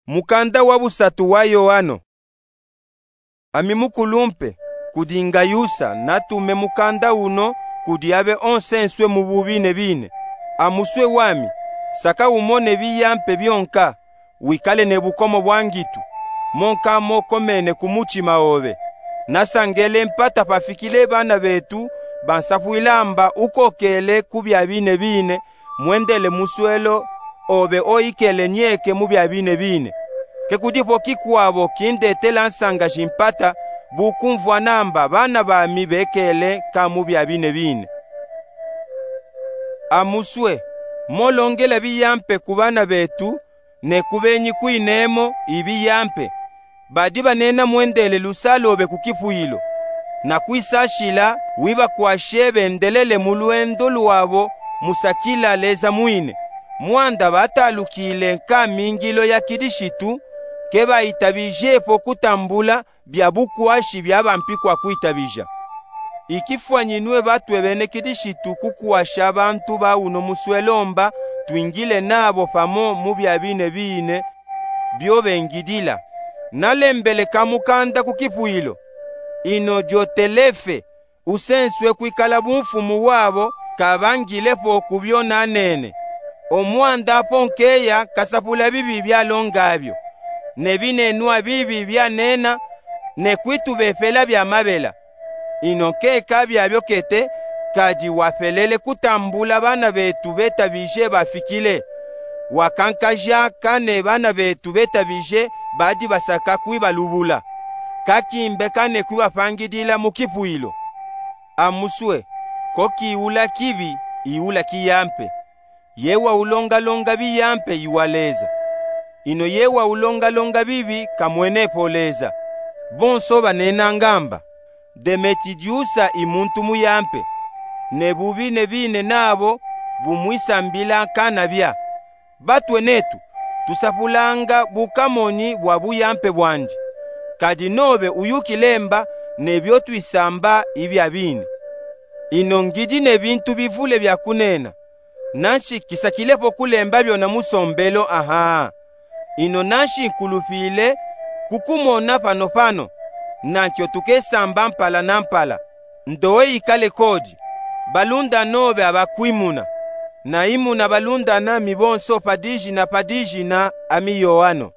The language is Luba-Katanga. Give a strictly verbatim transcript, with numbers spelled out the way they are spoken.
Mukanda wa busatu wa Yoano. Ami mukulumpe, kudi Ngayusa natume mukanda uno kudi abe onsenswe mu bubine bine. Amuswe wami, saka umone biyampe byonka, wikale ne bukomo bwa ngitu, monka mokomene ku mutima obe. Nasangele mpata pafikile bana betu bansapwila mba ukokele ku bya bine bine, mwendele muswelo obe oyikele nyeke mu bya bine bine. Ke kudipo kikwabo kindetela nsanga shimpata, bu kumvwa namba bana bami bekele ka mu bya bine bine. Amuswe, molongela biyampe ku bana betu, ne ku benyi kwinemo ibiyampe, badi banena mwendele lusalobe ku kipwilo, na kwisashila wibakwashe bendelele mu lwendo lwabo musakila Leza mwine. Mwanda batalukile nkamingilo ya Kilishitu, ke bayitabijepo kutambula bya bukwashi bya bampikwa kwitabija. Ikifwanyinwe batwe bene Kilishitu kukwasha bantu ba uno muswelo mba twingile nabo pamo mu bya bine bine byo bengidila. Nalembele kamukanda ku kipwilo. Ino Diotelefe, usenswe kwikala bumfumu wabo, kabangilepo ku byo nanene. Omwanda apo nkeya kasapula bibi byalonga byo, ne binenwa bibi byanena, ne kwitubepela bya mabela. Ino nkeka byabyo kete, kadi wapelele kutambula bana betu betabije bafikile. Wakankaja kane bana betu betabije badi basaka kwibalubula, kakimbe kane kwibapangidila mu kipwilo. Amuswe, ko kiula kibi, iula kiyampe. Ye waulongalonga biyampe iwa Leza. Ino ye waulongalonga bibi kamwenepo Leza. Bonso banenanga mba, Demetidiusa i muntu muyampe, ne bubine bine nabo bumwisambila kanabya. Batwe netu, tusapulanga bukamonyi bwa buyampe bwandi. Kadi nobe uyukile mba ne byo twisamba ibya bine. Ino ngidi ne bintu bivule bya kunena, nanshi kisakilepo kulemba byona musombelo aha. Ino nanshi nkulupile kukumona panopano, nankyo tukesamba mpala na mpala. Ndowe ikale kodi, balunda nobe abakwimuna, na imuna balunda nami bonso pa dijina pa dijina, ami Yoano.